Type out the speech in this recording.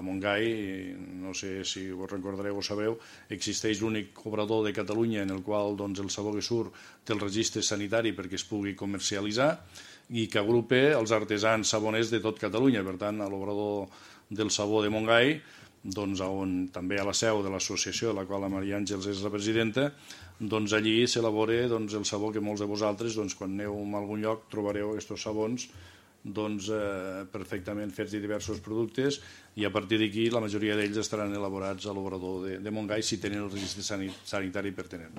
Montgai, no sé si vos recordareu o sabeu, existeix l'únic obrador de Catalunya en el qual el sabó que surt té el registre sanitari perquè es pugui comercialitzar i que agrupa els artesans saboners de tot Catalunya. Per tant, a l'obrador del sabó de Montgai, on també hi ha la seu de l'associació de la qual la Maria Àngels és la presidenta, allí s'elabora el sabó que molts de vosaltres, quan aneu a algun lloc, trobareu aquests sabons perfectament fets de diversos productes, i a partir d'aquí la majoria d'ells estaran elaborats a l'obrador de Montgai si tenen el registre sanitari pertinent.